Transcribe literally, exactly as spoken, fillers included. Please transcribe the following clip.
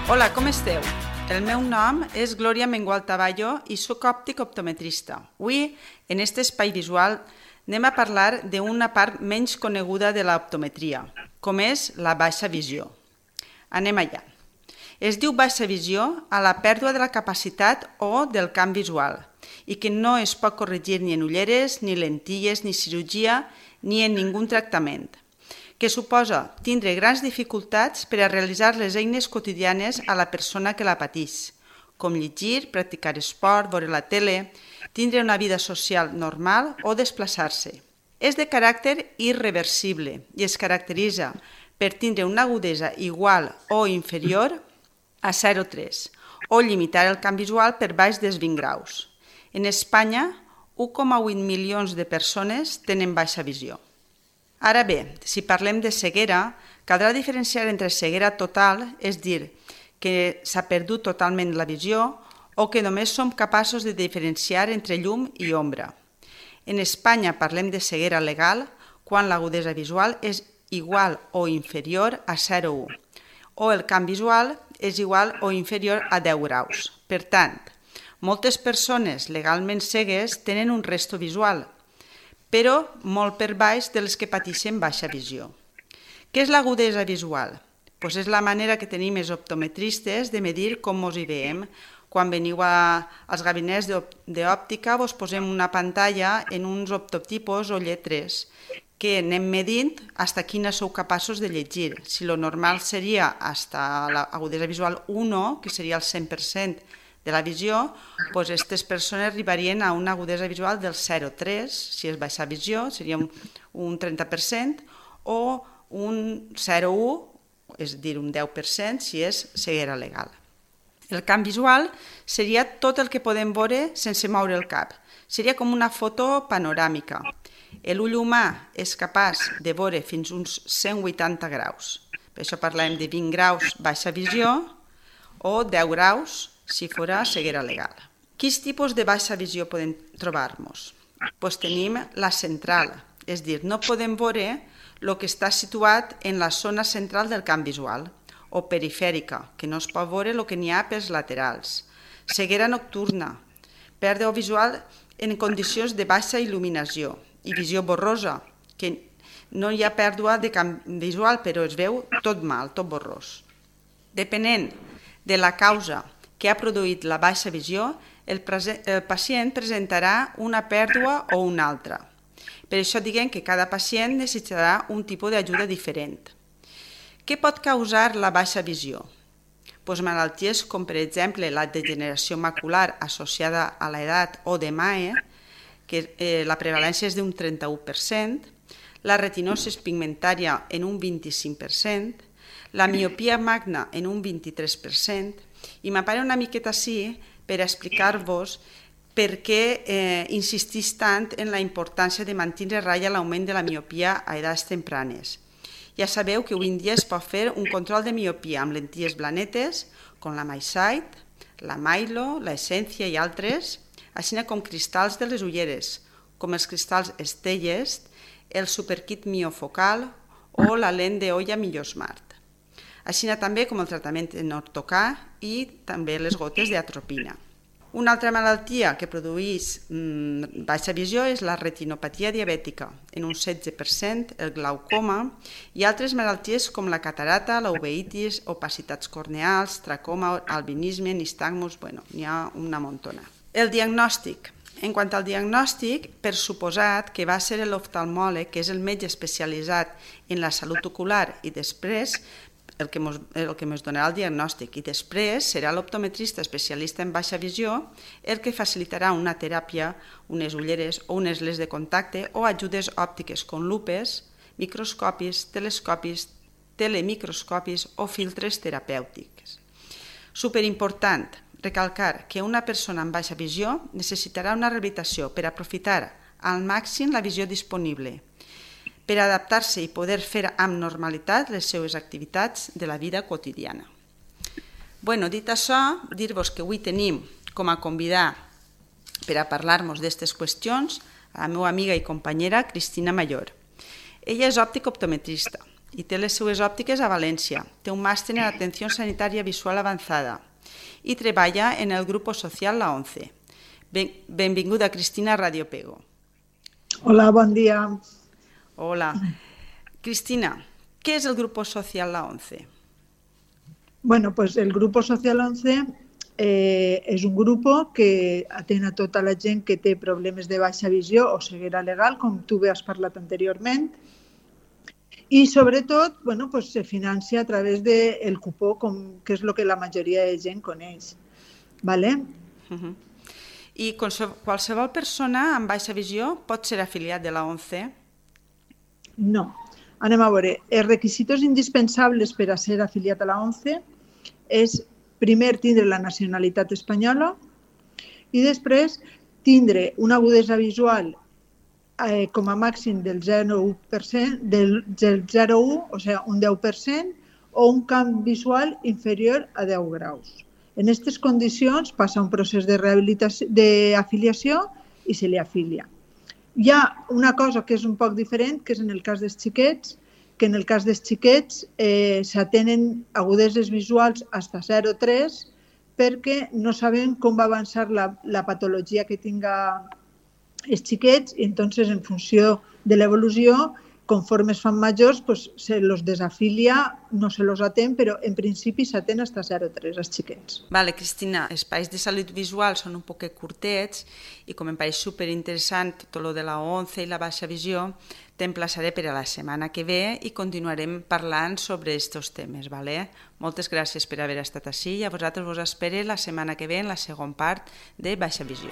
Hola, com esteu? El meu nom és Glòria Mengual Taballo i soc òptic optometrista. Avui, en aquest espai visual, anem a parlar d'una part menys coneguda de l'optometria, com és la baixa visió. Anem allà. Es diu baixa visió a la pèrdua de la capacitat o del camp visual i que no es pot corregir ni en ulleres, ni lentilles, ni cirurgia, ni en ningú tractament, que suposa tindre grans dificultats per a realitzar les eines quotidianes a la persona que la pateix, com llegir, practicar esport, veure la tele, tindre una vida social normal o desplaçar-se. És de caràcter irreversible i es caracteritza per tindre una agudesa igual o inferior a zero coma tres o limitar el camp visual per baix dels vint graus. En Espanya, u coma vuit milions de persones tenen baixa visió. Ara bé, si parlem de ceguera, caldrà diferenciar entre ceguera total, és a dir, que s'ha perdut totalment la visió o que només som capaços de diferenciar entre llum i ombra. En Espanya parlem de ceguera legal quan l'agudesa visual és igual o inferior a zero coma u o el camp visual és igual o inferior a deu graus. Per tant, moltes persones legalment cegues tenen un resto visual, però molt per baix de les que pateixen baixa visió. Què és l'agudesa visual? Pues és la manera que tenim els optometristes de medir com ens hi veiem. Quan veniu a, als gabinets d'òptica vos posem una pantalla en uns optotipos o lletres que anem medint fins a quina sou capaços de llegir. Si lo normal seria fins a l'agudesa visual u, que seria el cent per cent de la visió, doncs aquestes persones arribarien a una agudesa visual del zero coma tres, si és baixa visió, seria un trenta per cent, o un zero coma u, és a dir, un deu per cent, si és ceguera legal. El camp visual seria tot el que podem veure sense moure el cap. Seria com una foto panoràmica. L'ull humà és capaç de veure fins uns cent vuitanta graus. Per això parlem de vint graus baixa visió o deu graus si fora ceguera legal. Quins tipus de baixa visió podem trobar-nos? Pues tenim la central, és a dir, no podem veure el que està situat en la zona central del camp visual, o perifèrica, que no es pot veure el que n'hi ha pels laterals. Ceguera nocturna, pèrdua visual en condicions de baixa il·luminació i visió borrosa, que no hi ha pèrdua de camp visual, però es veu tot mal, tot borrós. Depenent de la causa que ha produït la baixa visió, el, el pacient presentarà una pèrdua o una altra. Per això diguem que cada pacient necessitarà un tipus d'ajuda diferent. Què pot causar la baixa visió? Pues malalties com, per exemple, la degeneració macular associada a l'edat o de M A E, que eh, la prevalència és d'un trenta-u per cent, la retinosi pigmentària en un vint-i-cinc per cent, la miopia magna en un vint-i-tres per cent, i m'apare una miqueta així per explicar-vos per què eh, insistís tant en la importància de mantenir a ratlla l'augment de la miopia a edats tempranes. Ja sabeu que avui en dia es pot fer un control de miopia amb lentilles blanetes, com la MiSight, la Milo, la Essencia i altres, així com cristalls de les ulleres, com els cristalls Stellest, el Superkit Miofocal o la lent d'olla Millosmart. Així també com el tractament en ortocà i també les gotes d'atropina. Una altra malaltia que produeix mmm, baixa visió és la retinopatia diabètica, en un setze per cent, el glaucoma i altres malalties com la catarata, la uveitis, opacitats corneals, tracoma, albinisme, nistagmus, bueno, n'hi ha una montona. El diagnòstic. En quant al diagnòstic, per suposat que va ser l'oftalmòleg, que és el metge especialitzat en la salut ocular, i després el que mos, el que ens donarà el diagnòstic, i després serà l'optometrista especialista en baixa visió el que facilitarà una teràpia, unes ulleres o unes lents de contacte o ajudes òptiques com lupes, microscopis, telescopis, telemicroscopis o filtres terapèutics. Superimportant recalcar que una persona amb baixa visió necessitarà una rehabilitació per aprofitar al màxim la visió disponible, per adaptar-se i poder fer amb normalitat les seues activitats de la vida quotidiana. Bueno, dit això, dir-vos que avui tenim com a convidar per a parlar-nos d'aquestes qüestions a la meva amiga i companyera Cristina Mayor. Ella és òptica optometrista, i té les seues òptiques a València. Té un màster en atenció sanitària visual avançada i treballa en el grupo social La ONCE. Ben, benvinguda, Cristina, a Radio Pego. Hola, bon dia. Hola. Cristina, què és el grupo social La ONCE? Bueno, pues el grupo social ONCE eh, és un grupo que atén a tota la gent que té problemes de baixa visió o ceguera legal, com tu bé has parlat anteriorment, i sobretot bueno, pues se financia a través del cupó, com, que és el que la majoria de gent coneix. ¿Vale? Uh-huh. I qualsevol persona amb baixa visió pot ser afiliat de la ONCE? No. Anem a veure. Els requisits indispensables per a ser afiliat a la ONCE és primer tindre la nacionalitat espanyola i després tindre una agudesa visual eh, com a màxim del zero coma u per cent, del zero coma u, o sigui, un deu per cent, o un camp visual inferior a deu graus. En aquestes condicions passa un procés de rehabilitació, d'afiliació i se li afilia. Hi ha una cosa que és un poc diferent, que és en el cas dels xiquets, que en el cas dels xiquets eh, s'atenen agudeses visuals fins a zero coma tres perquè no sabem com va avançar la, la patologia que tinga els xiquets i entonces en funció de l'evolució, conforme es fan majors, pues, se los desafilia, no se los atén, però en principi s'atén fins a zero coma tres els xiquets. Vale, Cristina, els espais de salut visual són un poc curtets i com em pareix superinteressant tot lo de la ONCE i la baixa visió, t'emplaçaré per a la setmana que ve i continuarem parlant sobre aquests temes. Vale? Moltes gràcies per haver estat ací i a vosaltres vos espero la setmana que ve en la segona part de Baixa Visió.